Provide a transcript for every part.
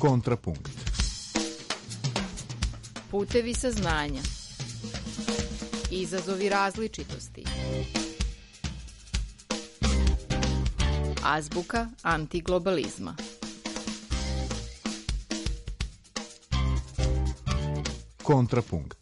Kontrapunkt. Putevi saznanja. Izazovi različitosti. Azbuka antiglobalizma. Kontrapunkt.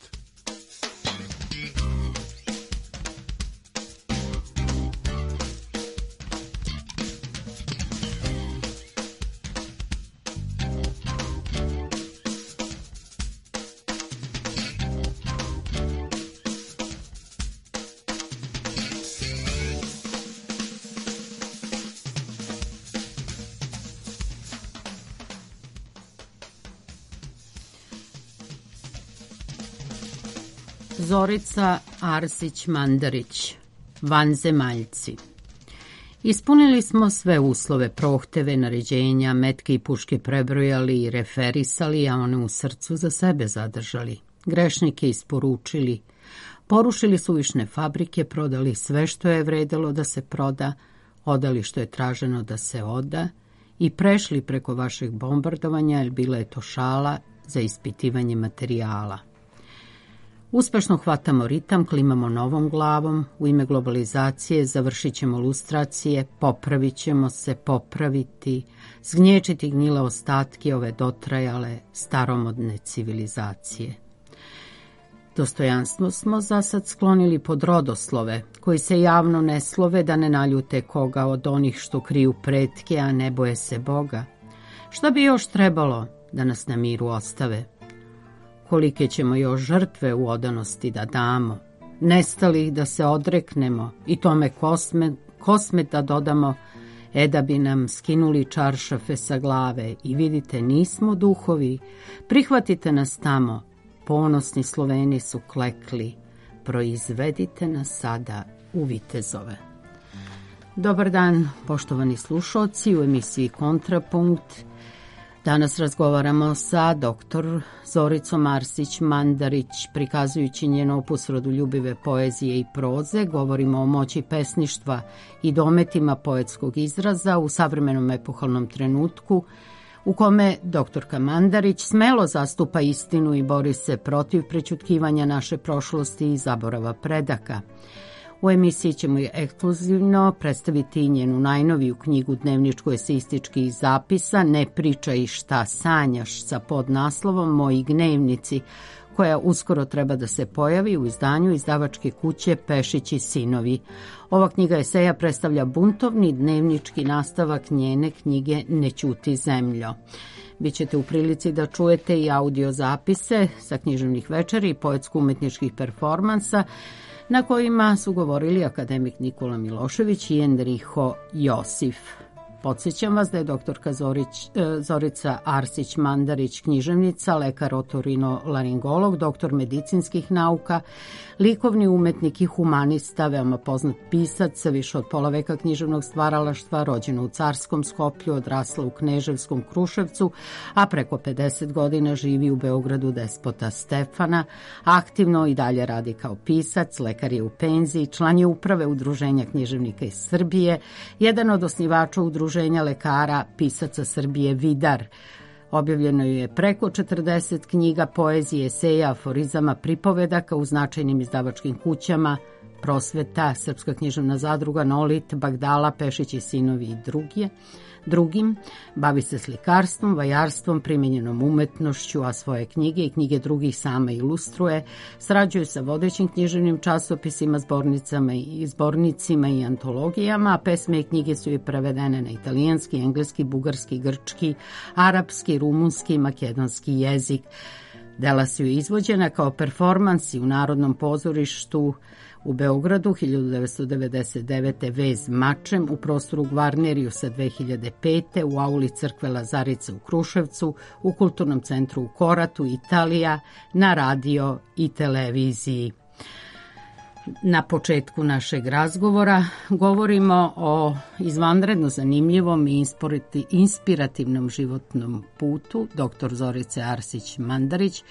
Zorica Arsić-Mandarić, Vanzemaljci. Ispunili smo sve uslove, prohteve, naređenja, metke i puške prebrojali i referisali, a one u srcu za sebe zadržali. Grešnike isporučili, porušili suvišne fabrike, prodali sve što je vredelo da se proda, odali što je traženo da se oda i prešli preko vašeg bombardovanja, jer bila je to šala za ispitivanje materijala. Uspešno hvatamo ritam, klimamo novom glavom, u ime globalizacije završit ćemo lustracije, popravit ćemo se, popraviti, zgnječiti gnjile ostatke ove dotrajale staromodne civilizacije. Dostojanstvo smo za sad sklonili pod rodoslove, koji se javno ne slove da ne naljute koga od onih što kriju pretke, a ne boje se Boga. Šta bi još trebalo da nas na miru ostave? Kolike ćemo još žrtve u odanosti da damo, nestalih da se odreknemo i tome kosmet da dodamo, da bi nam skinuli čaršafe sa glave i vidite nismo duhovi, prihvatite nas tamo, ponosni Sloveni su klekli, proizvedite nas sada u vitezove. Dobar dan, poštovani slušalci, u emisiji Kontrapunkt. Danas razgovaramo sa dr. Zoricom Arsić-Mandarić, prikazujući njen opus rodoljubive poezije i proze. Govorimo o moći pesništva i dometima poetskog izraza u savremenom epohalnom trenutku, u kome doktorka Mandarić smelo zastupa istinu i bori se protiv prećutkivanja naše prošlosti i zaborava predaka. U emisiji ćemo ekskluzivno predstaviti njenu najnoviju knjigu dnevničko-eseističkih zapisa Ne pričaj šta sanjaš sa podnaslovom Moji gnevnici, koja uskoro treba da se pojavi u izdanju izdavačke kuće Pešići sinovi. Ova knjiga eseja predstavlja buntovni dnevnički nastavak njene knjige Ne ćuti zemljo. Bićete u prilici da čujete i audio zapise sa književnih večeri i poetsko-umetničkih performansa, na kojima su govorili akademik Nikola Milošević i Enriho Josif. Podsjećam vas da je doktorka Zorica Arsić-Mandarić književnica, lekar otorinolaringolog, doktor medicinskih nauka, likovni umetnik i humanista, veoma poznat pisac, više od pola veka književnog stvaralaštva, rođena u Carskom Skoplju, odrasla u Kneževskom Kruševcu, a preko 50 godina živi u Beogradu Despota Stefana, aktivno i dalje radi kao pisac, lekar je u penziji, član je uprave Udruženja književnika iz Srbije, jedan od osnivača Udruženja lekara pisaca Srbije Vidar. Objavljeno je preko 40 knjiga, poezije, eseja, aforizama, pripovedaka u značajnim izdavačkim kućama Prosveta, Srpska književna zadruga, Nolit, Bagdala, Pešići sinovi i drugim. Bavi se slikarstvom, vajarstvom, primenjenom umetnošću, a svoje knjige i knjige drugih sama ilustruje. Sarađuje sa vodećim književnim časopisima, zbornicima i antologijama, a pesme i knjige su i prevedene na italijanski, engleski, bugarski, grčki, arapski, rumunski, makedonski jezik. Dela su izvođena kao performansi u Narodnom pozorištu u Beogradu 1999. Vez mačem, u prostoru Gvarnerijusa 2005. u auli crkve Lazarice u Kruševcu, u Kulturnom centru u Koratu, Italija, na radio i televiziji. Na početku našeg razgovora govorimo o izvanredno zanimljivom i inspirativnom životnom putu dr. Zorice Arsić-Mandarić,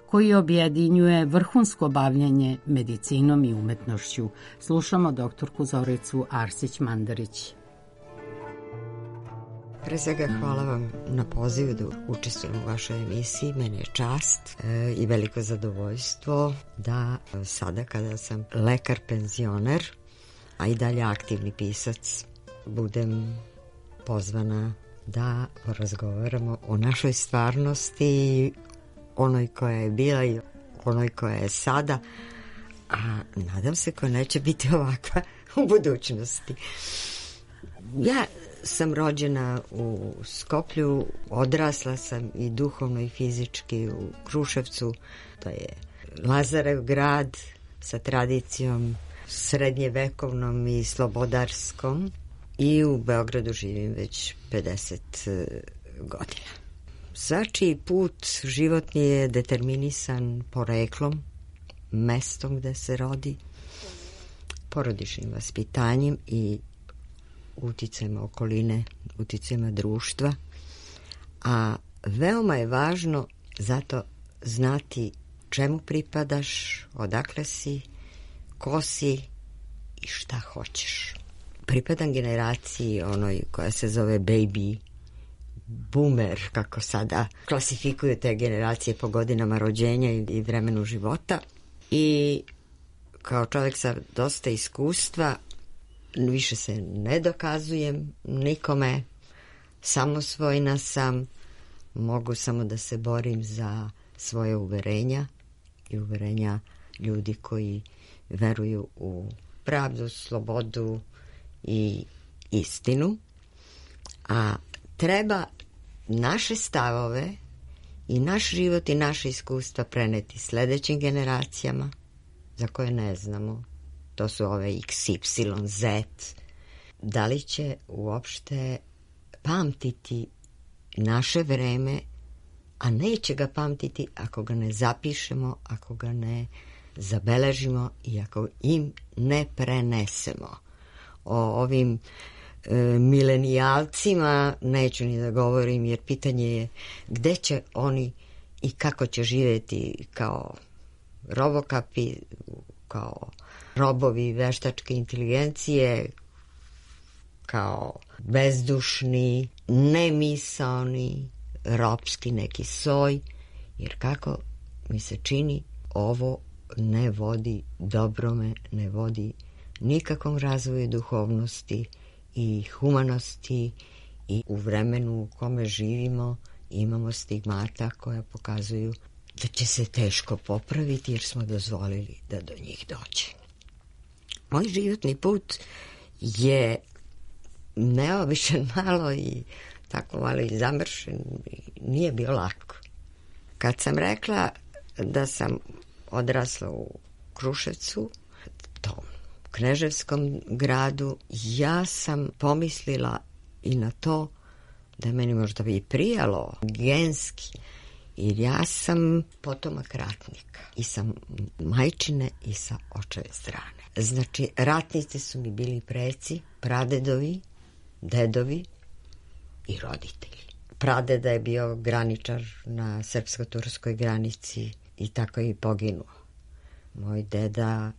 koji objedinjuje vrhunsko bavljanje medicinom i umetnošću. Slušamo doktorku Zoricu Arsić-Mandarić. Pre svega hvala vam na pozivu da učestvujem u vašoj emisiji. Meni je čast i veliko zadovoljstvo da sada kada sam lekar penzioner, a i dalje aktivni pisac, budem pozvana da porazgovaramo o našoj stvarnosti, onoj koja je bila i onoj koja je sada, a nadam se koja neće biti ovakva u budućnosti. Ja sam rođena u Skoplju, odrasla sam i duhovno i fizički u Kruševcu. To je Lazarev grad sa tradicijom srednjevekovnom i slobodarskom, i u Beogradu živim već 50 godina. Svačiji put životni je determinisan poreklom, mestom gde se rodi, porodičnim vaspitanjem i uticajima okoline, uticajima društva, a veoma je važno zato znati čemu pripadaš, odakle si, ko si i šta hoćeš. Pripadam generaciji onoj koja se zove baby boomer, kako sada klasifikuju te generacije po godinama rođenja i vremenu života, i kao čovjek sa dosta iskustva više se ne dokazujem nikome, samosvojna sam, mogu samo da se borim za svoje uverenja i uverenja ljudi koji veruju u pravdu, slobodu i istinu, a treba naše stavove i naš život i naše iskustva preneti sledećim generacijama za koje ne znamo. To su ove X, Y, Z. Da li će uopšte pamtiti naše vreme, a neće ga pamtiti ako ga ne zapišemo, ako ga ne zabeležimo i ako im ne prenesemo. O ovim milenijalcima neću ni da govorim, jer pitanje je gde će oni i kako će živjeti kao robokapi, kao robovi veštačke inteligencije, kao bezdušni, nemisaoni, ropski neki soj, jer kako mi se čini ovo ne vodi dobrome, ne vodi nikakvom razvoju duhovnosti i humanosti, i u vremenu u kome živimo imamo stigmata koja pokazuju da će se teško popraviti jer smo dozvolili da do njih dođe. Moj životni put je neobičan malo i tako malo i zamršen, nije bio lako. Kad sam rekla da sam odrasla u Kruševcu, tom kneževskom gradu, ja sam pomislila i na to da meni možda bi prijalo genski, jer ja sam potomak ratnika i sa majčine i sa očeve strane. Znači, ratnici su mi bili preci, pradedovi, dedovi i roditelji. Pradeda je bio graničar na srpsko-turskoj granici i tako je i poginuo. Moj deda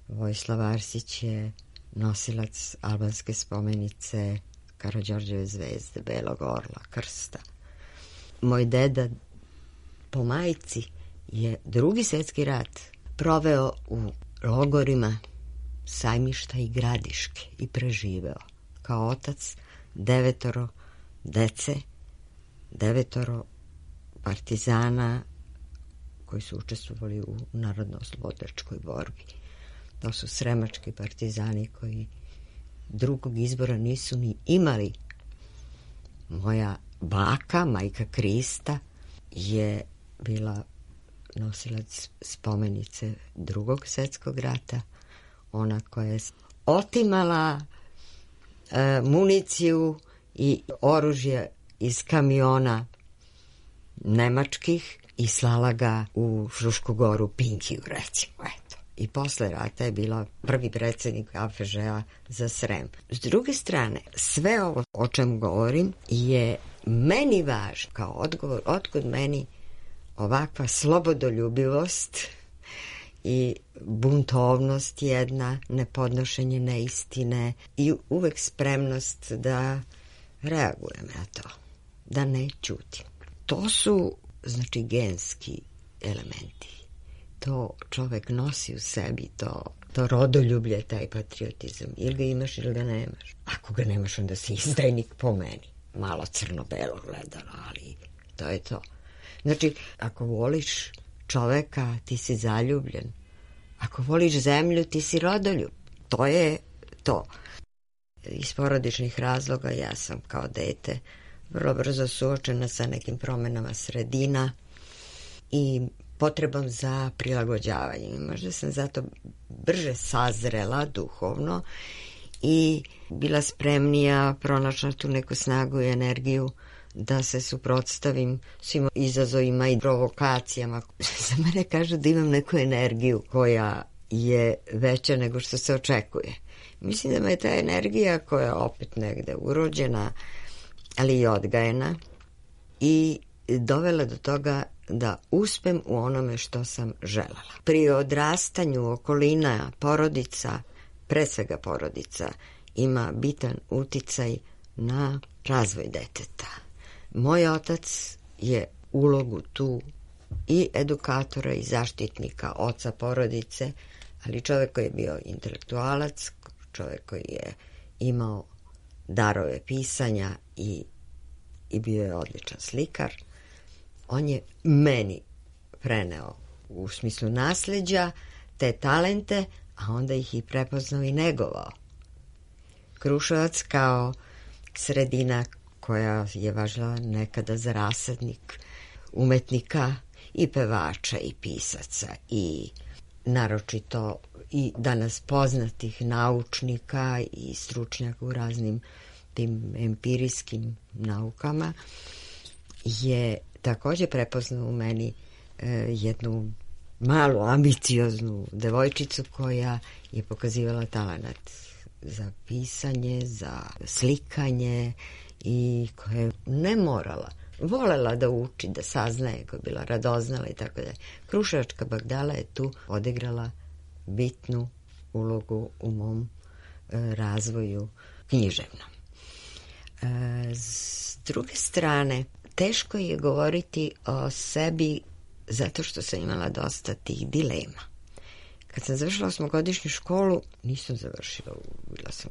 Vojislav Arsić je nosilac albanske spomenice Karađorđeve zvezde, Belog orla, krsta. Moj deda po majci je Drugi svjetski rat proveo u logorima Sajmišta i Gradiške i preživeo. Kao otac 9 dece, 9 partizana koji su učestvovali u narodno-oslobodilačkoj borbi. To su sremački partizani koji drugog izbora nisu ni imali. Moja baka, majka Krista, je bila nosilac spomenice Drugog svjetskog rata, ona koja je otimala municiju i oružje iz kamiona nemačkih i slala ga u Frušku goru, Pinkiju, recimo, eto. I posle rata je bila prvi predsjednik AFŽ-a za Srem. S druge strane, sve ovo o čem govorim je meni važno kao odgovor, otkud meni ovakva slobodoljubivost i buntovnost jedna, nepodnošenje neistine i uvek spremnost da reagujem na to, da ne ćutim. To su, znači, genski elementi. To čovek nosi u sebi, to rodoljublje, taj patriotizam. Ili ga imaš ili ga nemaš. Ako ga nemaš, onda si izdajnik po meni. Malo crno-belo gledano, ali to je to. Znači, ako voliš čoveka, ti si zaljubljen. Ako voliš zemlju, ti si rodoljub. To je to. Iz porodičnih razloga ja sam kao dete vrlo brzo suočena sa nekim promenama sredina i potrebom za prilagođavanjem. Možda sam zato brže sazrela duhovno i bila spremnija, pronašla tu neku snagu i energiju da se suprotstavim svim izazovima i provokacijama. Za mene kažu da imam neku energiju koja je veća nego što se očekuje. Mislim da me je ta energija koja je opet negde urođena, ali i odgajena i dovela do toga da uspem u onome što sam želela. Pri odrastanju okolina, porodica, pre svega porodica, ima bitan uticaj na razvoj deteta. Moj otac je ulogu tu i edukatora i zaštitnika, oca porodice, ali čovjek koji je bio intelektualac, čovjek koji je imao darove pisanja i bio je odličan slikar. On je meni preneo u smislu nasleđa te talente, a onda ih i prepoznao i negovao. Kruševac kao sredina koja je važila nekada za rasadnik umetnika i pevača i pisaca i naročito i danas poznatih naučnika i stručnjaka u raznim tim empirijskim naukama, je također prepoznao u meni jednu malu ambicioznu devojčicu koja je pokazivala talenat za pisanje, za slikanje i koja je ne morala, volela da uči, da saznaje, koja je bila radoznala i tako da. Kruševačka Bagdala je tu odigrala bitnu ulogu u mom razvoju književnom. S druge strane, teško je govoriti o sebi zato što sam imala dosta tih dilema. Kad sam završila 8-godišnju školu, nisam završila, bila sam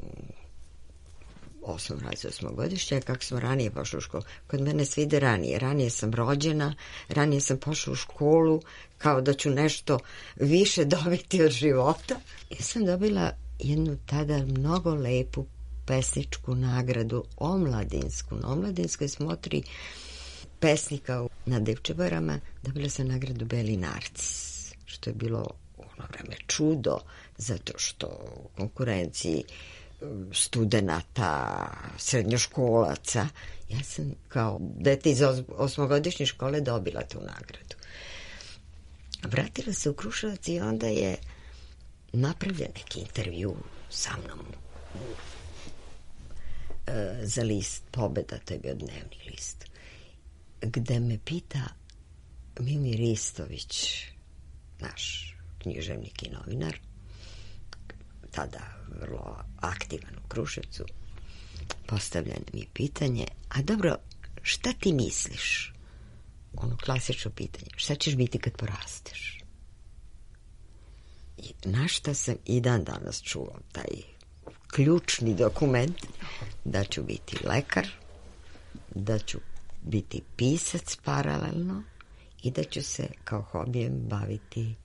u 8. razredu 8-godišnja, kako smo ranije pošli u školu. Kod mene svi ide ranije. Ranije sam rođena, ranije sam pošla u školu, kao da ću nešto više dobiti od života. Ja sam dobila jednu tada mnogo lepu pesničku nagradu omladinsku. Na omladinskoj smotri pesnika na Devčebarama dobila sam nagradu Beli narcis, što je bilo u ono vreme čudo, zato što u konkurenciji studenata, srednjoškolaca, ja sam kao dete iz 8-godišnje škole dobila tu nagradu. Vratila se u Kruševac i onda je napravljen neki intervju sa mnom za list Pobeda, to je bio dnevni list, gde me pita Mimir Ristović, naš književnik i novinar, tada vrlo aktivan u Kruševcu, postavljeno mi pitanje, a dobro, šta ti misliš? Ono klasično pitanje, šta ćeš biti kad porasteš? I na šta sam i dan danas čuo taj ključni dokument, da ću biti lekar, da ću biti pisac paralelno i da ću se kao hobijem baviti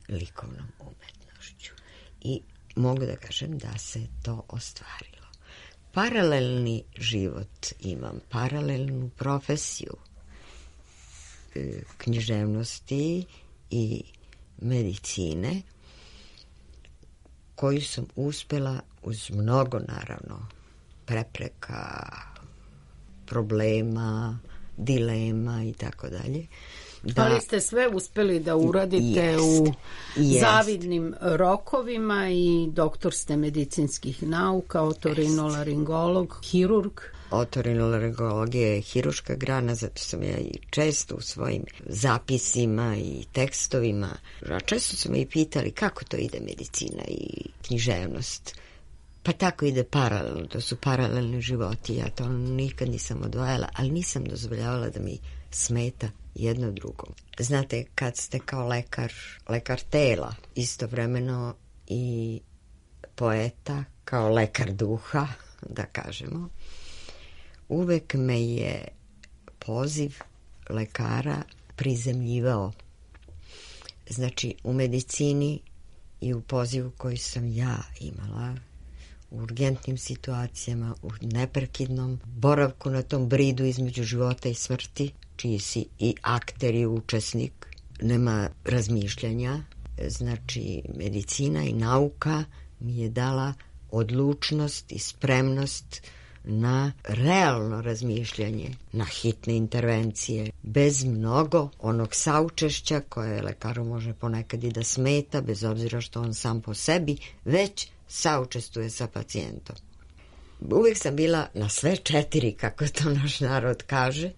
likovnom umetnošću. I mogu da kažem da se to ostvarilo. Paralelni život imam, paralelnu profesiju književnosti i medicine, koju sam uspela uz mnogo, naravno, prepreka, problema, dilema i tako dalje. Ali ste sve uspeli da uradite u zavidnim rokovima i doktor ste medicinskih nauka, otorinolaringolog, hirurg. Otorinolaringologija je hiruška grana, zato sam ja i često u svojim zapisima i tekstovima, a često su me i pitali kako to ide medicina i književnost. Pa tako ide paralelno, to su paralelni životi, ja to nikad nisam odvajala, ali nisam dozvoljavala da mi smeta jedno drugo. Znate, kad ste kao lekar tela, istovremeno i poeta, kao lekar duha, da kažemo, uvek me je poziv lekara prizemljivao. Znači, u medicini i u pozivu koji sam ja imala, u urgentnim situacijama, u neprekidnom boravku na tom bridu između života i smrti, čiji si i akter i učesnik, nema razmišljanja. Znači, medicina i nauka mi je dala odlučnost i spremnost na realno razmišljanje, na hitne intervencije, bez mnogo onog saučešća koje lekaru može ponekad i da smeta, bez obzira što on sam po sebi već saučestvuje sa pacijentom. Uvijek sam bila na sve 4, kako to naš narod kaže,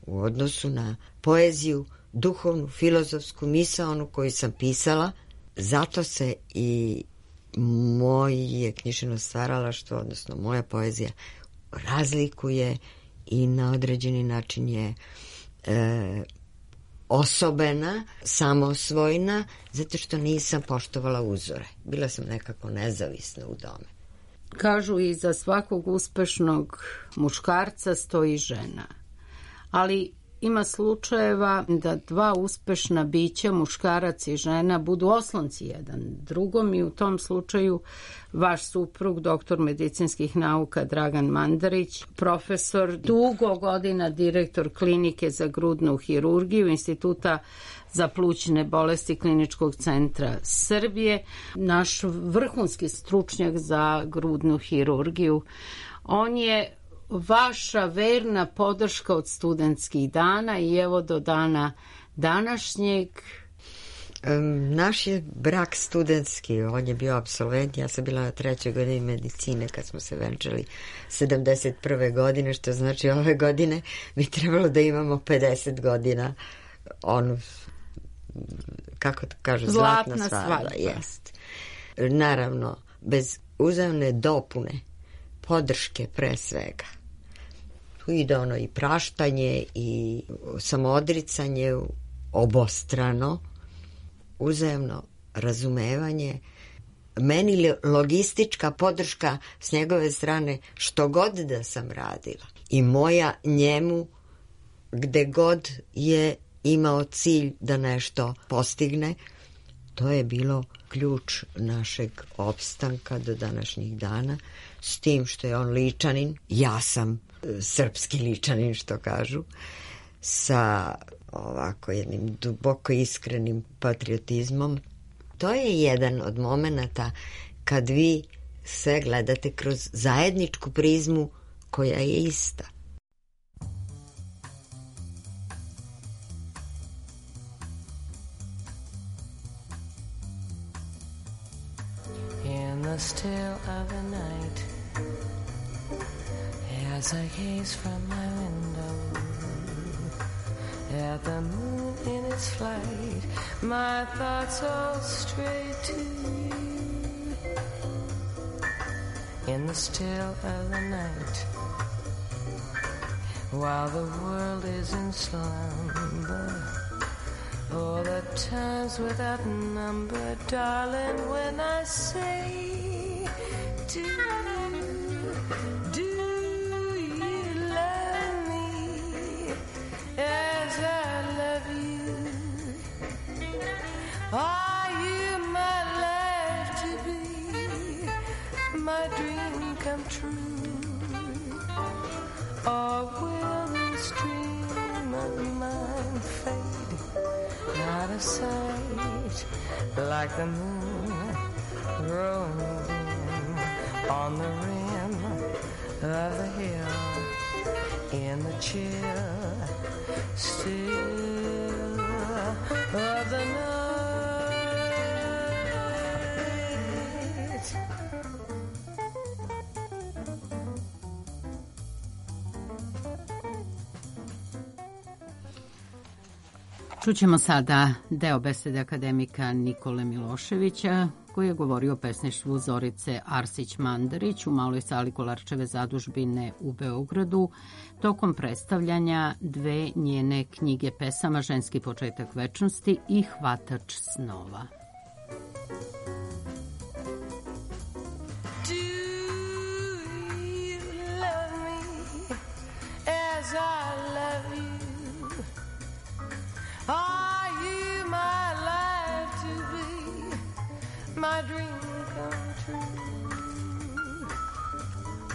u odnosu na poeziju, duhovnu, filozofsku, misaonu koju sam pisala. Zato se i moje književno stvaralaštvo, odnosno moja poezija, razlikuje i na određeni način je osobena, samosvojna, zato što nisam poštovala uzore. Bila sam nekako nezavisna u tome. Kažu i za svakog uspešnog muškarca stoji žena. Ali ima slučajeva da 2 uspešna bića, muškarac i žena, budu oslonci jedan drugom i u tom slučaju vaš suprug, doktor medicinskih nauka Dragan Mandarić, profesor, dugo godina direktor klinike za grudnu hirurgiju Instituta za plućne bolesti Kliničkog centra Srbije, naš vrhunski stručnjak za grudnu hirurgiju. On je vaša verna podrška od studentskih dana i evo do dana današnjeg. Naš je brak studentski, on je bio apsolvent, ja sam bila na 3. godini medicine kad smo se venčali 71. godine, što znači ove godine bi trebalo da imamo 50 godina, kako to kažu, zlatna svadba. Jest. Naravno, bez uzajamne dopune, podrške pre svega. Tu ide ono i praštanje i samoodricanje obostrano, uzajamno razumevanje, meni logistička podrška s njegove strane što god da sam radila i moja njemu gde god je imao cilj da nešto postigne. To je bilo ključ našeg opstanka do današnjih dana, s tim što je on Ličanin, ja sam srpski Ličanin, što kažu, sa ovako jednim duboko iskrenim patriotizmom. To je jedan od momenata kad vi sve gledate kroz zajedničku prizmu koja je ista. In the still of the night, as I gaze from my window at the moon in its flight, my thoughts all stray to you. In the still of the night, while the world is in slumber, oh, the times without number, darling, when I say, do you love me as I love you? Are you my life to be, my dream come true? Or will this dream of mine fade out of sight like the moon growing dim on the rim of the hill in the chill still of the night? Čućemo sada deo besede akademika Nikole Miloševića koji je govorio o pesništvu Zorice Arsić-Mandarić u maloj sali Kolarčeve zadužbine u Beogradu tokom predstavljanja dve njene knjige pesama Ženski početak večnosti i Hvatač snova. My dream come true,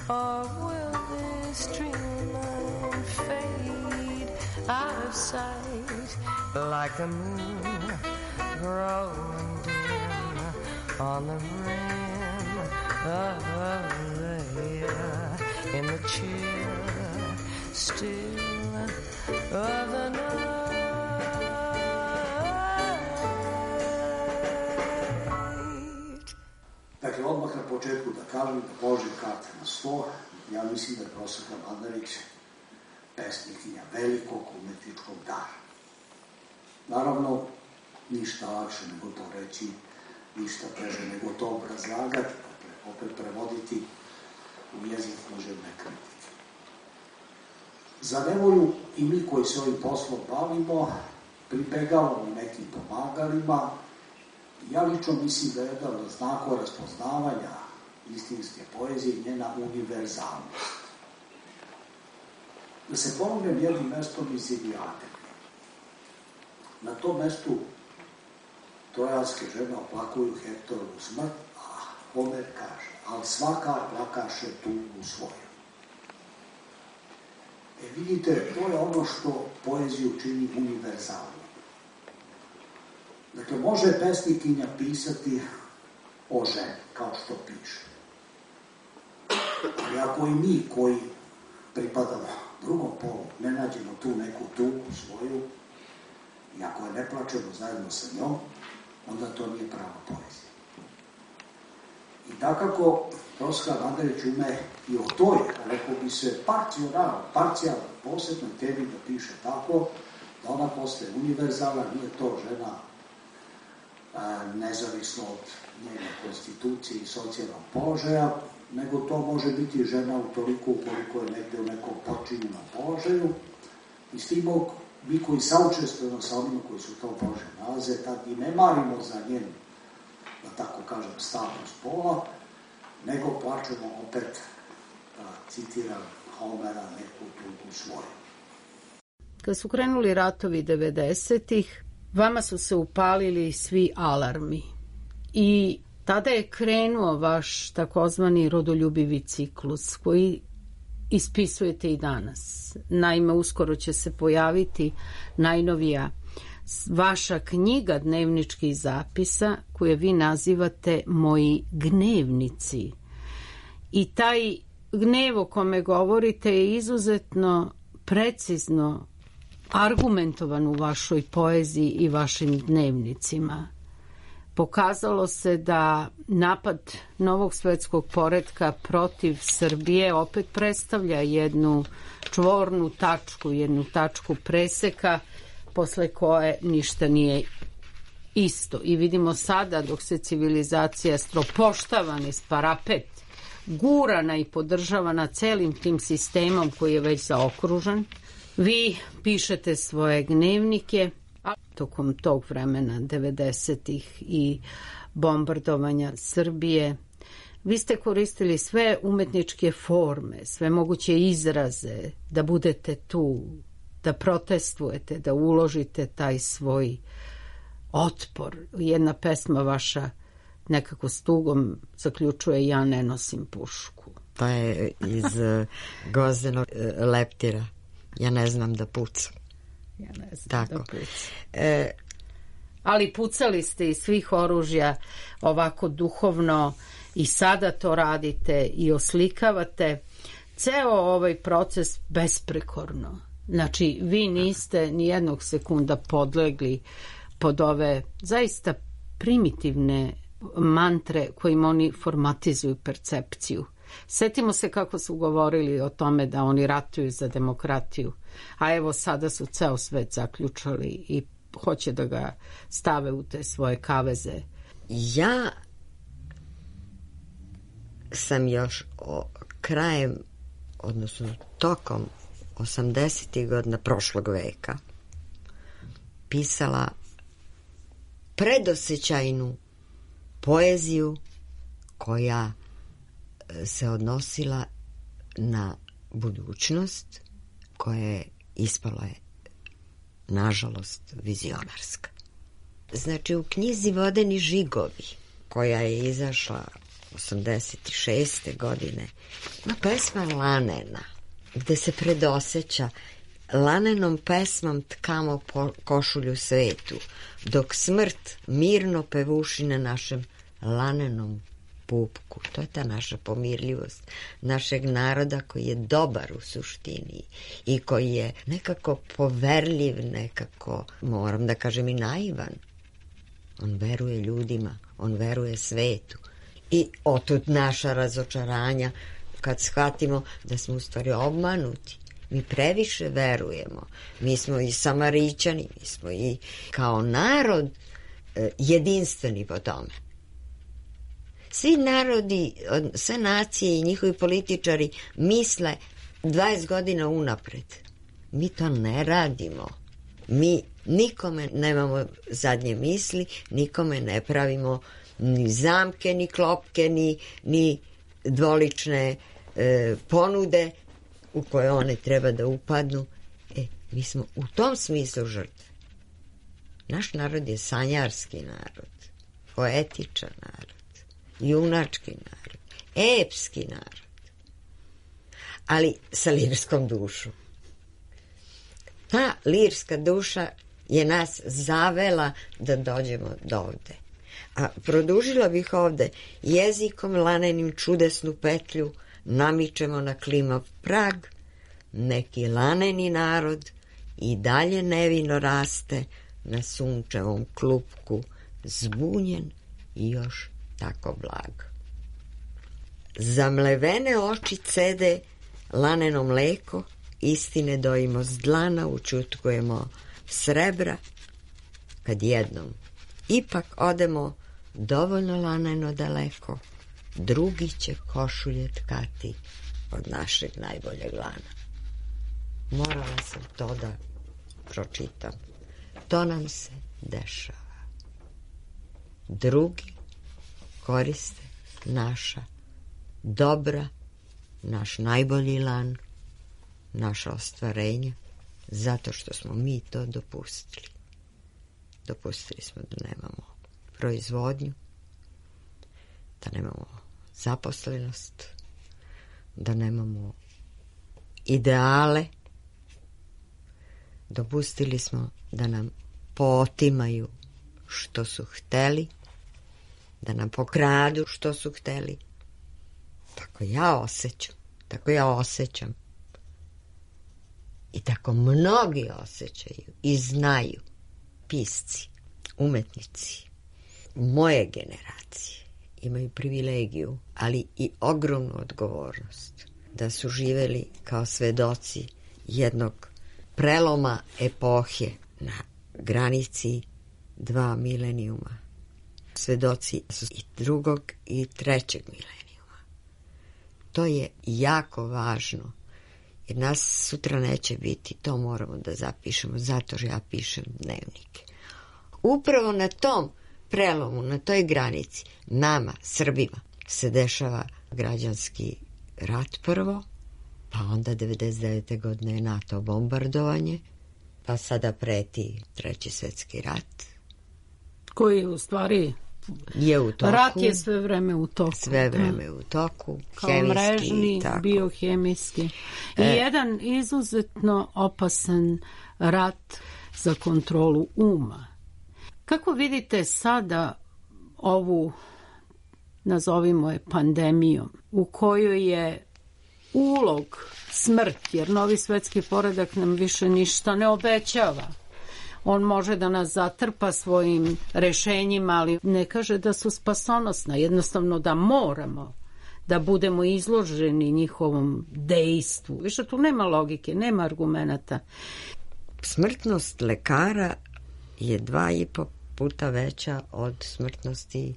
or will this dream fade out of sight like the moon growing dim on the rim of the year in the chill still of the night. Dakle, odmah na početku da kažem da položim karte na sto. Ja mislim da je Proseka Mandarić pesnikinja velikog umetničkog dara. Naravno, ništa lakše nego to reći, ništa teže nego to obrazlagati, dakle, opet prevoditi u jezik književne kritike. Za nevolju i mi koji se ovim poslom bavimo, pribegavamo nekim pomagalima. Ja lično mislim da je jedan od znakova raspoznavanja istinske poezije njena univerzalnost. Da se pomognem jednim mestom iz Ilijade. Na tom mestu trojanske žene oplakuju Hektorovu smrt, a Homer kaže, ali svaka plakaše tugu svoju. Vidite, to je ono što poeziju čini univerzalnom. Dakle, može pesnikinja pisati o ženi, kao što piše. Ali ako i mi koji pripadamo drugom polu ne nađemo tu neku tugu svoju i ako je ne plačemo zajedno sa njom, onda to nije prava poezija. I dakako, Proseka Mandarić ume i o toj, rekao bi se, parcijalno, posebnoj temi da piše tako, da ona postaje univerzalna, nije to žena nezavisno od njene konstitucije i socijalnog položaja, nego to može biti žena utoliko ukoliko je negde u nekom počinjenom položaju. I s tim mi koji saučestvujemo sa onima koji su u tom položaju nalaze, tad i ne marimo za njen, da tako kažem, stavnost pola, nego plačemo opet, citiram Homera, neku tugu svoju. Kad su krenuli ratovi 90-ih, vama su se upalili svi alarmi i tada je krenuo vaš takozvani rodoljubivi ciklus koji ispisujete i danas. Naime, uskoro će se pojaviti najnovija vaša knjiga dnevničkih zapisa koje vi nazivate Moji gnevnici. I taj gnev o kome govorite je izuzetno precizno argumentovan u vašoj poeziji i vašim dnevnicima. Pokazalo se da napad novog svetskog poretka protiv Srbije opet predstavlja jednu čvornu tačku, jednu tačku preseka posle koje ništa nije isto. I vidimo sada dok se civilizacija stropoštavana iz parapet, gurana i podržavana celim tim sistemom koji je već zaokružen, vi pišete svoje gnevnike, a tokom tog vremena 90-ih i bombardovanja Srbije, vi ste koristili sve umetničke forme, sve moguće izraze, da budete tu, da protestujete, da uložite taj svoj otpor. Jedna pesma vaša nekako s tugom zaključuje ja ne nosim pušku. To je iz Gvozdenog leptira. Ja ne znam da pucam. Ja ne znam tako da pucam. Ali pucali ste iz svih oružja ovako duhovno i sada to radite i oslikavate. Ceo ovaj proces besprekorno. Znači, vi niste ni jednog sekunda podlegli pod ove zaista primitivne mantre kojim oni formatizuju percepciju. Setimo se kako su govorili o tome da oni ratuju za demokratiju, a evo sada su ceo svet zaključali i hoće da ga stave u te svoje kaveze. Ja sam još krajem, odnosno tokom 80. godina prošlog veka pisala predosjećajnu poeziju koja se odnosila na budućnost, koja je ispala je, nažalost, vizionarska. Znači, u knjizi Vodeni žigovi, koja je izašla 86. godine, ima pesma Lanena, gde se predosjeća: lanenom pesmom tkamo košulju svetu, dok smrt mirno pevuši na našem lanenom pupku. To je ta naša pomirljivost našeg naroda koji je dobar u suštini i koji je nekako poverljiv, nekako, moram da kažem, i naivan. On veruje ljudima, on veruje svetu. I otud naša razočaranja kad shvatimo da smo u stvari obmanuti. Mi previše verujemo. Mi smo i Samarićani, mi smo i kao narod jedinstveni po tome. Svi narodi, sve nacije i njihovi političari misle 20 godina unapred. Mi to ne radimo. Mi nikome nemamo zadnje misli, nikome ne pravimo ni zamke, ni klopke, ni dvolične ponude u koje one treba da upadnu. Mi smo u tom smislu žrtve. Naš narod je sanjarski narod, poetičan narod, junački narod, epski narod, ali sa lirskom dušom. Ta lirska duša je nas zavela da dođemo do ovde. A produžila bih ovde: jezikom lanenim čudesnu petlju namičemo na klimav prag, neki laneni narod i dalje nevino raste na sunčevom klupku, zbunjen i još tako blag. Zamlevene oči cede laneno mleko, istine dojimo s dlana, učutkujemo srebra, kad jednom ipak odemo dovoljno laneno daleko, drugi će košulje tkati od našeg najboljeg lana. Morala sam to da pročitam. To nam se dešava. Drugi koriste naša dobra, naš najbolji lan, naša ostvarenja, zato što smo mi to dopustili. Dopustili smo da nemamo proizvodnju, da nemamo zaposlenost, da nemamo ideale. Dopustili smo da nam pootimaju što su hteli, da nam pokradu što su hteli. Tako ja osjećam, tako ja osjećam. I tako mnogi osjećaju i znaju, pisci, umetnici moje generacije imaju privilegiju, ali i ogromnu odgovornost da su živeli kao svedoci jednog preloma epohe na granici 2 milenijuma. Svedoci su i 2. i 3. milenijuma. To je jako važno, jer nas sutra neće biti, to moramo da zapišemo, zato što ja pišem dnevnike. Upravo na tom prelomu, na toj granici, nama, Srbima, se dešava građanski rat prvo, pa onda 99. godine je NATO bombardovanje, pa sada preti 3. svetski rat. Koji u stvari je u toku. Rat je sve vreme u toku. Sve vreme u toku. Kao hemijski, mrežni, tako. Biohemijski. I jedan izuzetno opasan rat za kontrolu uma. Kako vidite sada ovu, nazovimo je pandemijom, u kojoj je ulog smrt, jer novi svetski poredak nam više ništa ne obećava. On može da nas zatrpa svojim rešenjima, ali ne kaže da su spasonosna, jednostavno da moramo da budemo izloženi njihovom dejstvu. Više tu nema logike, nema argumenata. Smrtnost lekara je 2,5 puta veća od smrtnosti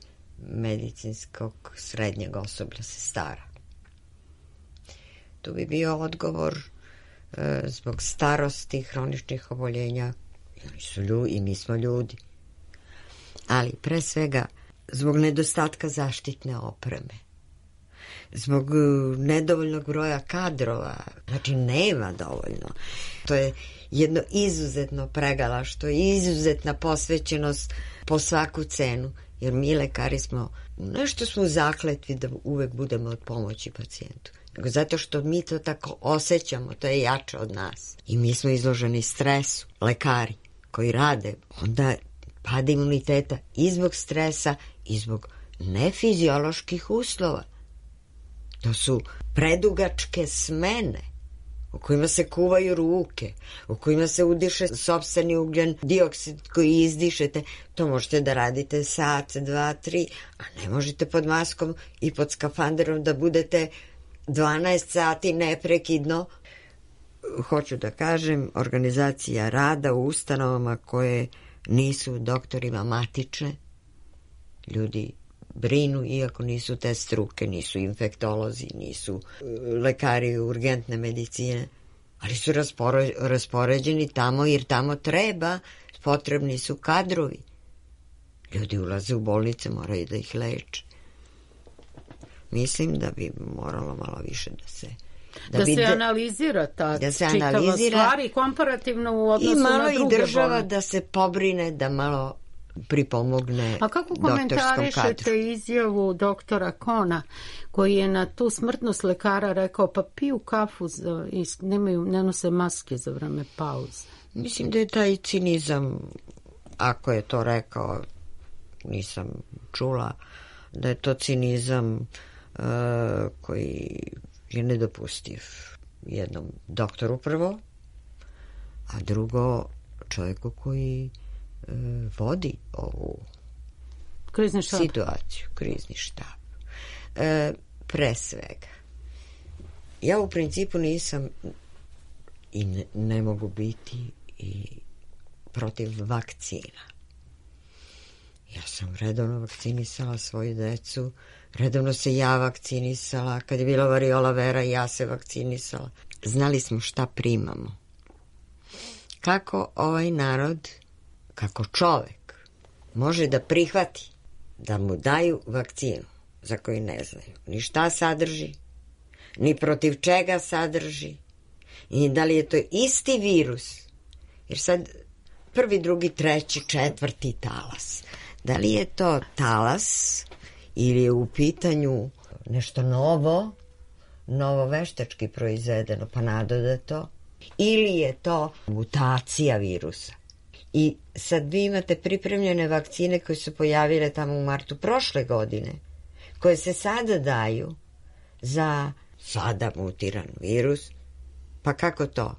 medicinskog srednjeg osoblja, sestara. Tu bi bio odgovor zbog starosti, hroničnih oboljenja. Oni su ljudi i mi smo ljudi. Ali pre svega zbog nedostatka zaštitne opreme, zbog nedovoljnog broja kadrova, znači nema dovoljno. To je jedno izuzetno pregalaštvo i izuzetna posvećenost po svaku cenu, jer mi lekari smo, nešto smo zakletvi da uvek budemo od pomoći pacijentu, nego zato što mi to tako osjećamo, to je jače od nas. I mi smo izloženi stresu, lekari koji rade, onda pada imuniteta i zbog stresa i zbog nefizioloških uslova. To su predugačke smene u kojima se kuvaju ruke, u kojima se udiše sopstveni ugljen dioksid koji izdišete. To možete da radite sat, 2, 3, a ne možete pod maskom i pod skafanderom da budete 12 sati neprekidno. Hoću da kažem, organizacija rada u ustanovama koje nisu doktorima matične, ljudi brinu, iako nisu te struke, nisu infektolozi, nisu lekari urgentne medicine, ali su raspoređeni tamo jer tamo treba, potrebni su kadrovi. Ljudi ulaze u bolnice, moraju da ih leče. Mislim da bi moralo malo više da se analizira ta čitava stvar i komparativno u odnosu na druge bolnice. I malo i država da se pobrine, da malo pripomogne doktorskom kadru. A kako komentarišete izjavu doktora Kona, koji je na tu smrtnost lekara rekao, pa piju kafu i ne nose maske za vreme pauze? Mislim da je taj cinizam, ako je to rekao, nisam čula, da je to cinizam koji je nedopustiv jednom doktoru prvo, a drugo čovjeku koji vodi ovu situaciju, krizni štab. Pre svega, ja u principu nisam i ne mogu biti i protiv vakcina. Ja sam redovno vakcinisala svoju decu, redovno se ja vakcinisala, kad je bila variola vera ja se vakcinisala. Znali smo šta primamo. Kako ovaj narod, kako čovek može da prihvati da mu daju vakcinu za koju ne znaju ni šta sadrži, ni protiv čega sadrži, i da li je to isti virus, jer sad prvi, drugi, treći, četvrti talas. Da li je to talas ili je u pitanju nešto novo veštački proizvedeno pa nadodato, ili je to mutacija virusa. I sad vi imate pripremljene vakcine koje su pojavile tamo u martu prošle godine, koje se sada daju za sada mutiran virus. Pa kako to?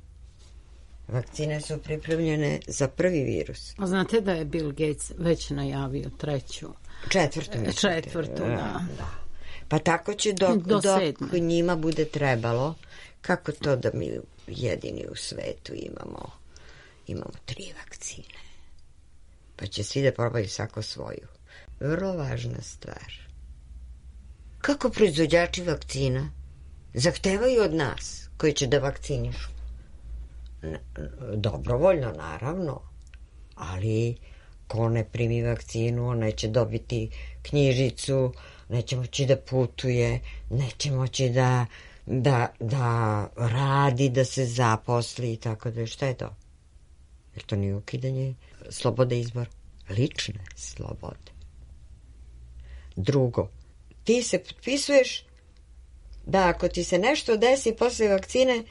Vakcine su pripremljene za prvi virus. A znate da je Bill Gates već najavio četvrtu, da. Pa tako će dok njima bude trebalo. Kako to da mi jedini u svetu imamo 3 vakcine? Pa će svi da probaju svako svoju. Vrlo važna stvar. Kako proizvođači vakcina zahtevaju od nas koji će da vakcinišu? Dobrovoljno, naravno, ali ko ne primi vakcinu, on neće dobiti knjižicu, neće moći da putuje, neće moći da radi, da se zaposli i tako da. Šta je to? Jer to nije ukidanje slobode izbora, lične slobode. Drugo, ti se potpisuješ da ako ti se nešto desi posle vakcine,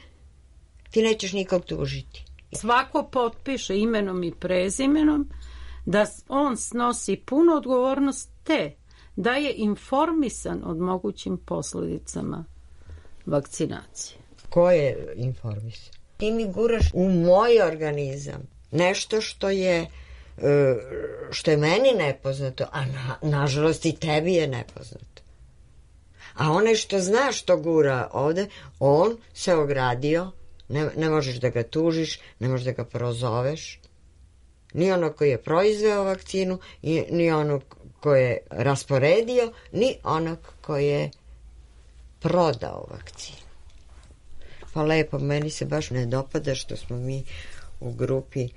ti nećeš nikog tužiti. Svako potpiše imenom i prezimenom da on snosi punu odgovornost da je informisan od mogućim posledicama vakcinacije. Ko je informisan? Ti mi guraš u moj organizam nešto što je meni nepoznato, a nažalost i tebi je nepoznato. A onaj što zna što gura ovde, on se ogradio. Ne možeš da ga tužiš, ne možeš da ga prozoveš. Ni ono koji je proizveo vakcinu, ni ono ko je rasporedio, ni onog ko je prodao vakcinu. Pa lepo, meni se baš ne dopada što smo mi u grupi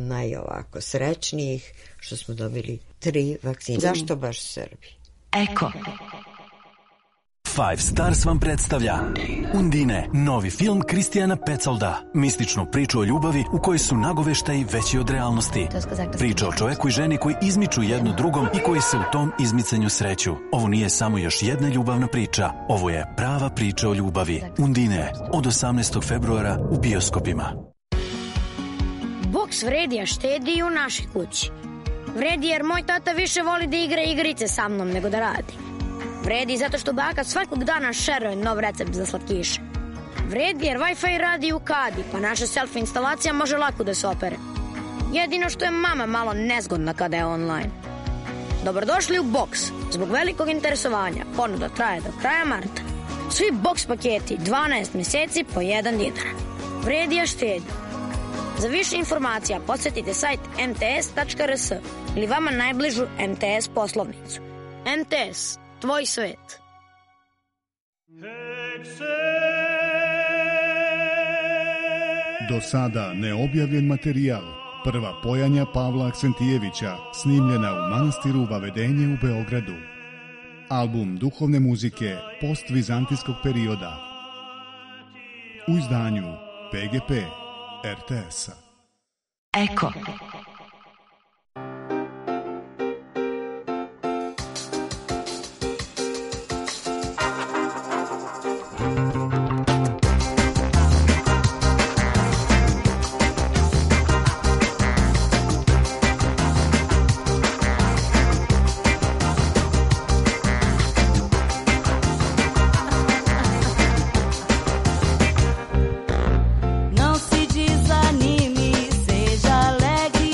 najovako srećnijih, što smo dobili 3 vakcine. Zašto baš Srbi? Eko. Five Stars vam predstavlja Undine, novi film Kristijana Petsolda. Mističnu priču o ljubavi u kojoj su nagoveštaji veći od realnosti. Priča o čoveku i ženi koji izmiču jedno drugom i koji se u tom izmicanju sreću. Ovo nije samo još jedna ljubavna priča. Ovo je prava priča o ljubavi. Undine, od 18. februara u bioskopima. Boks vredi, a štedi i u našoj kući. Vredi jer moj tata više voli da igra igrice sa mnom nego da radi. Vredi zato što baka svakog dana šeruje nov recept za slatkiše. Vredi jer Wi-Fi radi u kadi, pa naša selfie instalacija može lako da se opere. Jedino što je mama malo nezgodna kada je online. Dobrodošli u Boks. Zbog velikog interesovanja ponuda traje do kraja marta. Svi Boks paketi 12 meseci po 1 dinar. Vredi, a štedi. Za više informacija posjetite sajt mts.rs ili vama najbližu MTS poslovnicu. MTS, tvoj svet. Do sada neobjavljen materijal. Prva pojanja Pavla Aksentijevića, snimljena u manastiru Vavedenje u Beogradu. Album duhovne muzike postvizantijskog perioda. U izdanju PGP RTS-a. Eko. Não se desanime, seja alegre.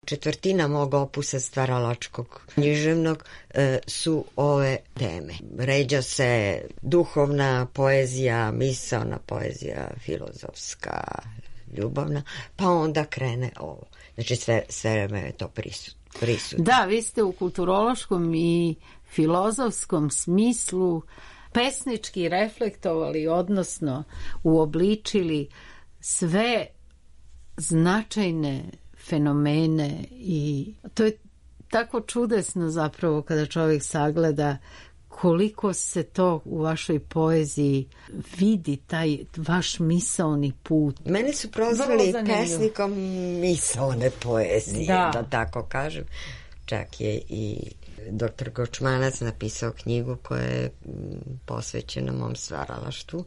četvrtina mog opusa stvaralačkog književnog su ove teme. Ređa se duhovna poezija, misaona poezija, filozofska, ljubavna, pa onda krene ovo. Znači sve vreme je to prisutno. Da, vi ste u kulturološkom i filozofskom smislu pesnički reflektovali, odnosno uobličili sve značajne fenomene i to je tako čudesno zapravo kada čovjek sagleda koliko se to u vašoj poeziji vidi, taj vaš misaoni put. Mene su prozvali pesnikom misaone poezije, da tako kažem. Čak je i dr. Gočmanac napisao knjigu koja je posvećena mom stvaralaštvu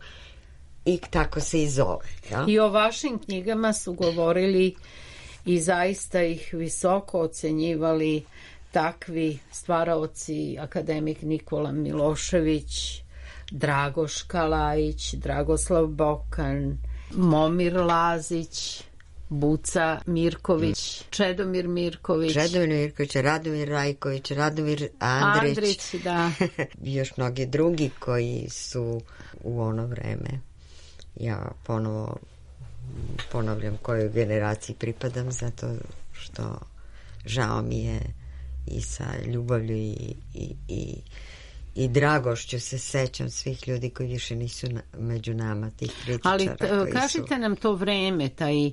i tako se i zove. Ja? I o vašim knjigama su govorili i zaista ih visoko ocenjivali takvi stvaraoci, akademik Nikola Milošević, Dragoš Kalajić, Dragoslav Bokan, Momir Lazić, Buca Mirković, Čedomir Mirković, Radomir Rajković, Radomir Andrić, da. I još mnogi drugi koji su u ono vreme. Ja ponovo ponavljam kojoj generaciji pripadam, zato što žao mi je i sa ljubavlju i dragošću se sećam svih ljudi koji više nisu među nama, tih kritičara. Ali kažite nam to vreme, taj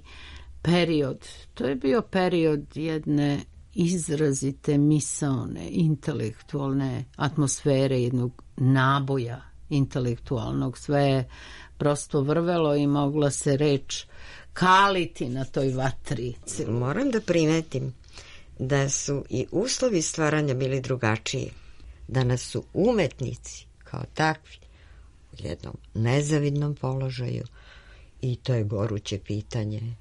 period, to je bio period jedne izrazite misaone, intelektualne atmosfere, jednog naboja intelektualnog, sve je prosto vrvelo i mogla se reč kaliti na toj vatri. Moram da primetim da su i uslovi stvaranja bili drugačiji. Danas su umetnici kao takvi u jednom nezavidnom položaju i to je goruće pitanje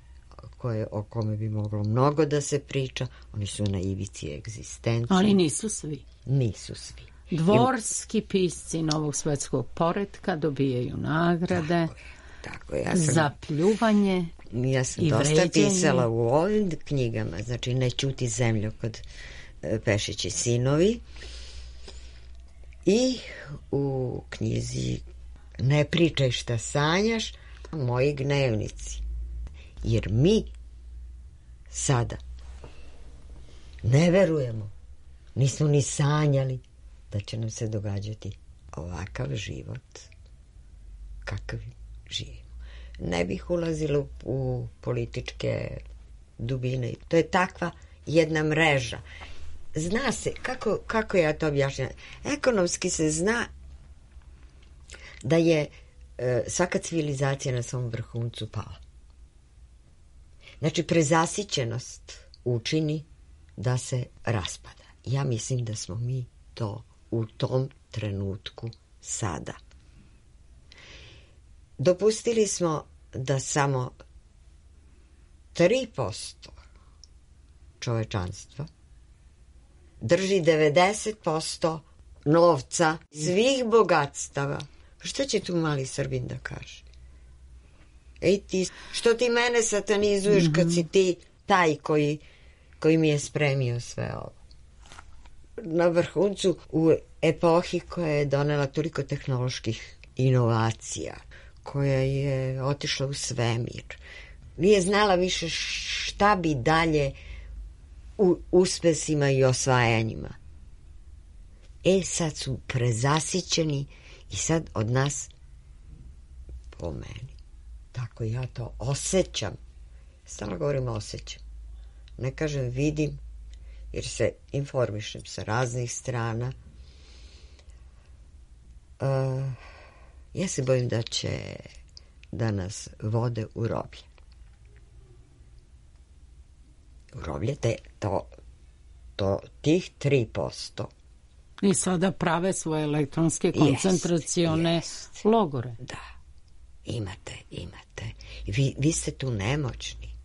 o kome bi moglo mnogo da se priča. Oni su na ivici egzistencije. Ali nisu svi. Nisu svi. Dvorski pisci novog svetskog poretka dobijaju nagrade tako, za pljuvanje. Ja sam dosta pisala u ovim knjigama, znači Ne ćuti zemlju kod Pešići sinovi i u knjizi Ne pričaj šta sanjaš, Moji gnevnici. Jer mi sada ne verujemo, nismo ni sanjali da će nam se događati ovakav život kakav živimo. Ne bih ulazila u političke dubine. To je takva jedna mreža. Zna se, kako ja to objašnjam? Ekonomski se zna da je svaka civilizacija na svom vrhuncu pala. Znači, prezasićenost učini da se raspada. Ja mislim da smo mi to u tom trenutku sada. Dopustili smo da samo 3% čovečanstva drži 90% novca, svih bogatstava. Što će tu mali Srbin da kaže? Ej ti, što ti mene satanizuješ kad si ti taj koji mi je spremio sve ovo? Na vrhuncu u epohi koja je donela toliko tehnoloških inovacija, koja je otišla u svemir, nije znala više šta bi dalje u uspesima i osvajanjima. Sad su prezasićeni i sad od nas, po meni, tako ja to osjećam. Stalno govorim osjećam. Ne kažem vidim, jer se informišem sa raznih strana. Ja se bojim da će da nas vode u roblje. U roblje tih 3%. I sada prave svoje elektronske koncentracione logore. Da, imate. Vi ste tu nemoćni.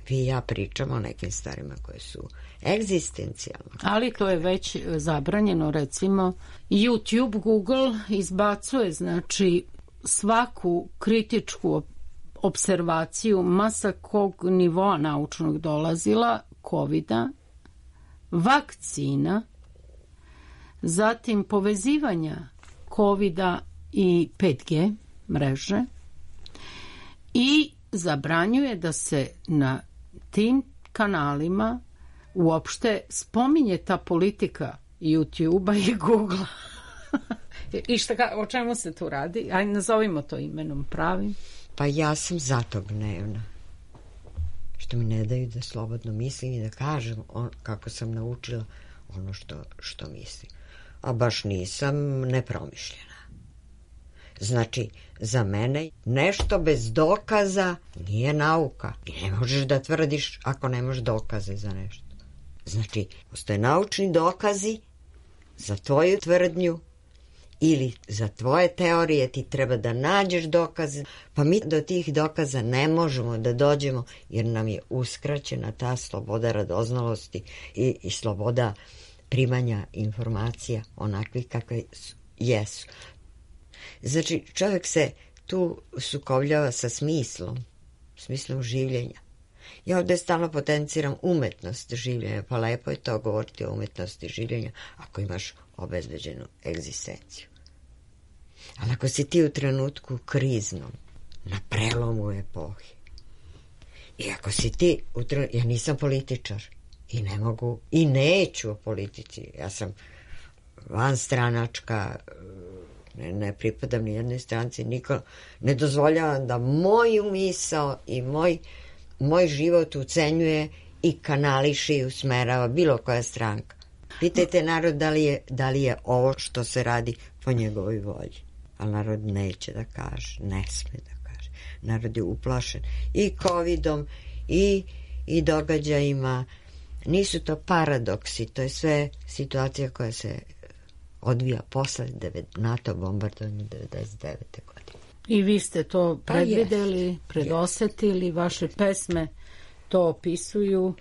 Vi i ja pričamo o nekim stvarima koje su egzistencijalne. Ali to je već zabranjeno, recimo YouTube, Google izbacuje, znači, svaku kritičku observaciju masa kog nivoa naučnog dolazila, covida, vakcina, zatim povezivanja covida i 5G mreže i zabranjuje da se na tim kanalima uopšte spominje ta politika YouTube-a i Google-a. I o čemu se tu radi? Ajde, nazovimo to imenom pravim. Pa ja sam zato gnevna. Što mi ne daju da slobodno mislim i da kažem kako sam naučila ono što mislim. A baš nisam nepromišljena. Znači, za mene nešto bez dokaza nije nauka. I ne možeš da tvrdiš ako nemaš dokaze za nešto. Znači, postoje naučni dokazi za tvoju tvrdnju ili za tvoje teorije, ti treba da nađeš dokaze, pa mi do tih dokaza ne možemo da dođemo jer nam je uskraćena ta sloboda radoznalosti i sloboda primanja informacija onakvih kakve jesu. Znači, čovjek se tu sukobljava sa smislom življenja. Ja ovdje stalno potenciram umetnost življenja, pa lepo je to govoriti o umetnosti življenja ako imaš obezbeđenu egzistenciju. Ali ako si ti u trenutku kriznom, na prelomu epohi, i ako si ti u trenutku, ja nisam političar i ne mogu i neću o politici, ja sam vanstranačka, ne pripadam ni jednoj stranci, niko ne dozvoljavam da moju misao i moj život ucenjuje i kanališe i usmerava bilo koja stranka. Pitajte narod da li je ovo što se radi po njegovoj volji. Ali narod neće da kaže, ne sme da kaže. Narod je uplašen i covidom i događajima. Nisu to paradoksi, to je sve situacija koja se odvija posle NATO bombardovanja 99. godine. I vi ste to predvideli, predosetili, vaše pesme to opisuju,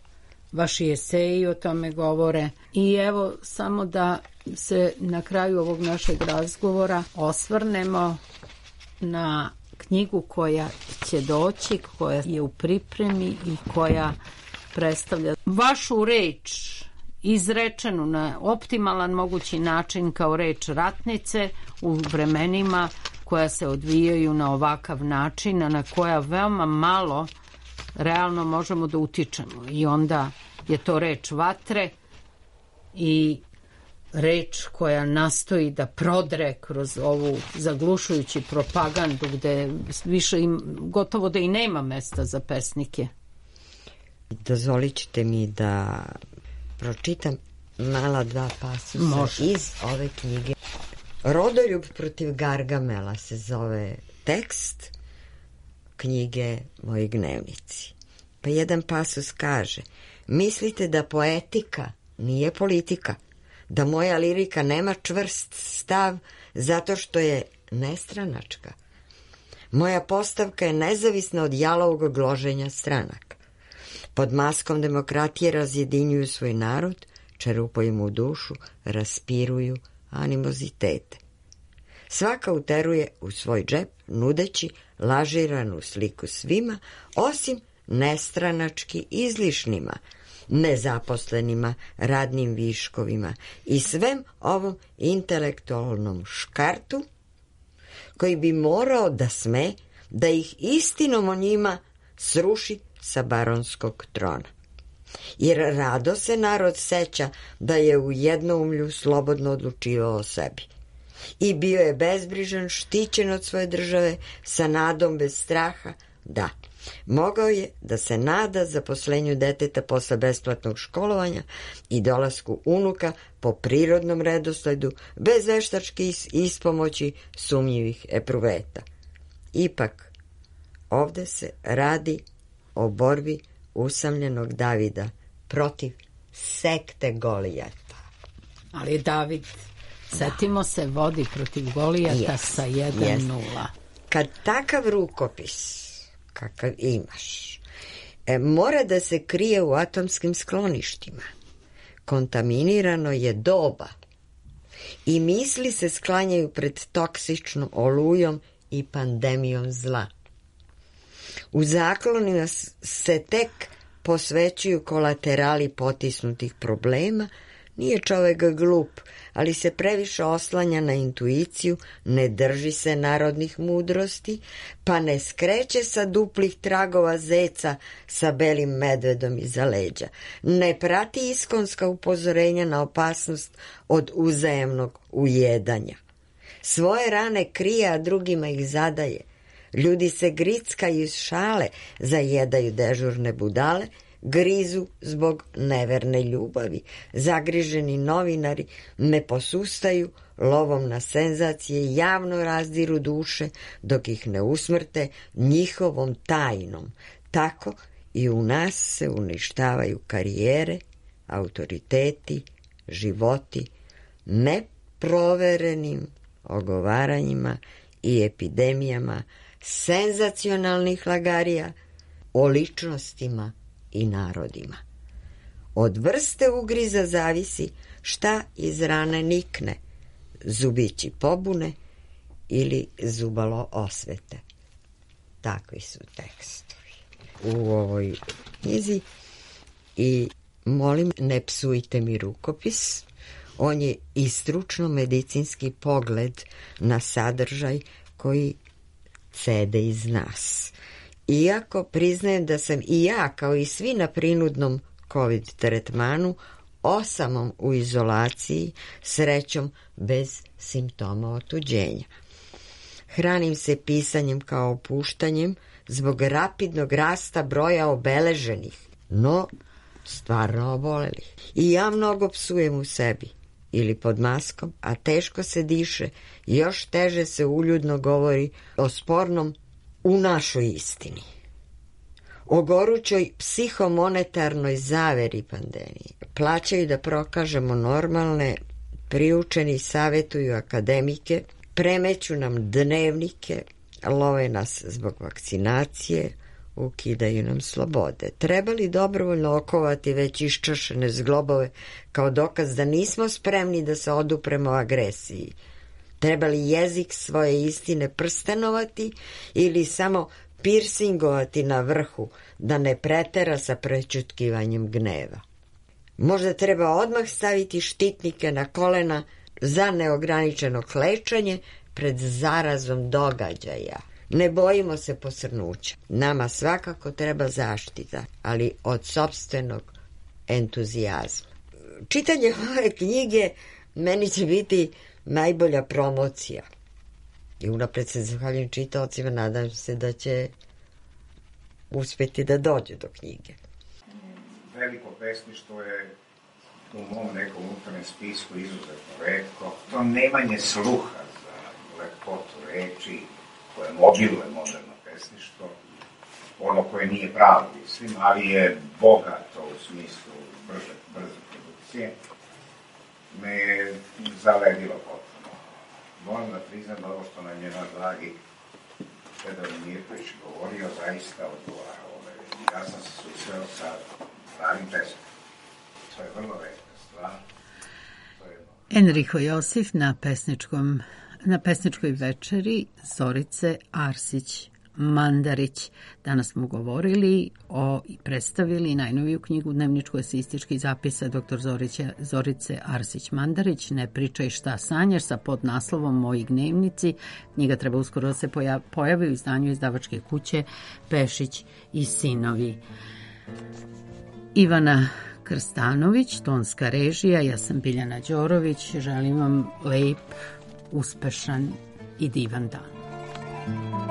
vaši eseji o tome govore. I evo, samo da se na kraju ovog našeg razgovora osvrnemo na knjigu koja će doći, koja je u pripremi i koja predstavlja vašu reč izrečenu na optimalan mogući način kao reč ratnice u vremenima koja se odvijaju na ovakav način, a na koja veoma malo realno možemo da utičemo. I onda je to reč vatre i reč koja nastoji da prodre kroz ovu zaglušujući propagandu gde više gotovo da i nema mesta za pesnike. Dozvolit ćete mi da pročitam mala dva pasusa iz ove knjige. Rodoljub protiv Gargamela se zove tekst knjige Moji gnevnici. Pa jedan pasus kaže: mislite da poetika nije politika, da moja lirika nema čvrst stav zato što je nestranačka. Moja postavka je nezavisna od jalovog gloženja stranaka. Pod maskom demokratije razjedinjuju svoj narod, čerupaju mu dušu, raspiruju animozitete. Svaka uteruje u svoj džep, nudeći lažiranu sliku svima, osim nestranački izlišnima, nezaposlenima, radnim viškovima i svem ovom intelektualnom škartu koji bi morao da sme da ih istinom o njima sruši sa baronskog trona. Jer rado se narod seća da je u jednoumlju slobodno odlučivao o sebi. I bio je bezbrižan, štićen od svoje države, sa nadom bez straha, da. Mogao je da se nada zaposlenju deteta posle besplatnog školovanja i dolasku unuka po prirodnom redosledu, bez veštačke ispomoći sumnjivih epruveta. Ipak, ovde se radi o borbi usamljenog Davida protiv sekte Golijata. Ali David, setimo se, vodi protiv Golijata sa 1-0. Kad takav rukopis kakav imaš mora da se krije u atomskim skloništima, kontaminirano je doba i misli se sklanjaju pred toksičnom olujom i pandemijom zla. U zaklonima se tek posvećuju kolaterali potisnutih problema, nije čovek glup, ali se previše oslanja na intuiciju, ne drži se narodnih mudrosti, pa ne skreće sa duplih tragova zeca sa belim medvedom iza leđa. Ne prati iskonska upozorenja na opasnost od uzajemnog ujedanja. Svoje rane krije, a drugima ih zadaje. Ljudi se grickaju iz šale, zajedaju dežurne budale, grizu zbog neverne ljubavi. Zagriženi novinari ne posustaju lovom na senzacije, javno razdiru duše dok ih ne usmrte njihovom tajnom. Tako i u nas se uništavaju karijere, autoriteti, životi, neproverenim ogovaranjima i epidemijama senzacionalnih lagarija o ličnostima i narodima. Od vrste ugriza zavisi šta iz rane nikne, zubići pobune ili zubalo osvete. Takvi su tekstovi u ovoj knjizi i molim, ne psujte mi rukopis. On je i stručno-medicinski pogled na sadržaj koji cede iz nas. Iako priznajem da sam i ja, kao i svi na prinudnom COVID tretmanu, osamom u izolaciji, srećom bez simptoma otuđenja. Hranim se pisanjem kao opuštanjem zbog rapidnog rasta broja obeleženih, no stvarno obolelih. I ja mnogo psujem u sebi ili pod maskom, a teško se diše, još teže se uljudno govori o spornom u našoj istini. O gorućoj psihomonetarnoj zaveri pandemije. Plaćaju da prokažemo normalne, priučeni savjetuju akademike, premeću nam dnevnike, love nas zbog vakcinacije, ukidaju nam slobode. Treba li dobrovoljno okovati već iščašene zglobove kao dokaz da nismo spremni da se odupremo agresiji? Treba li jezik svoje istine prstenovati ili samo pirsingovati na vrhu da ne pretera sa prećutkivanjem gneva? Možda treba odmah staviti štitnike na kolena za neograničeno klečanje pred zarazom događaja. Ne bojimo se posrnuća. Nama svakako treba zaštita, ali od sopstvenog entuzijazma. Čitanje ove knjige meni će biti najbolja promocija. I unapred se zahvaljujem čitaocima, nadam se da će uspjeti da dođu do knjige. Veliko pesništvo je u mom nekom unutarnjem spisku izuzetno retko. To nemanje sluha za lepotu reči koje mobiluje moderno pesništvo, ono koje nije pravo mislim, ali je bogato u smislu brze produkcije, me je zaledilo potpuno. Moram da priznam da ovo što nam je naš dragi Fedor Mirković govorio, zaista odgovara ove. Ja sam se susreo sa pravim pesmom. To je vrlo retka stvar. Enrico Josif na pesničkoj večeri Zorice Arsić-Mandarić. Danas smo govorili i predstavili najnoviju knjigu dnevničko-esističkih zapisa dr. Zorice Arsić-Mandarić, Ne pričaj šta sanjaš, sa podnaslovom Moji gnevnici. Knjiga treba uskoro da se pojavi u izdanju izdavačke kuće Pešić i sinovi. Ivana Krstanović, tonska režija, ja sam Biljana Đorović, želim vam lep, uspešan i divan dan.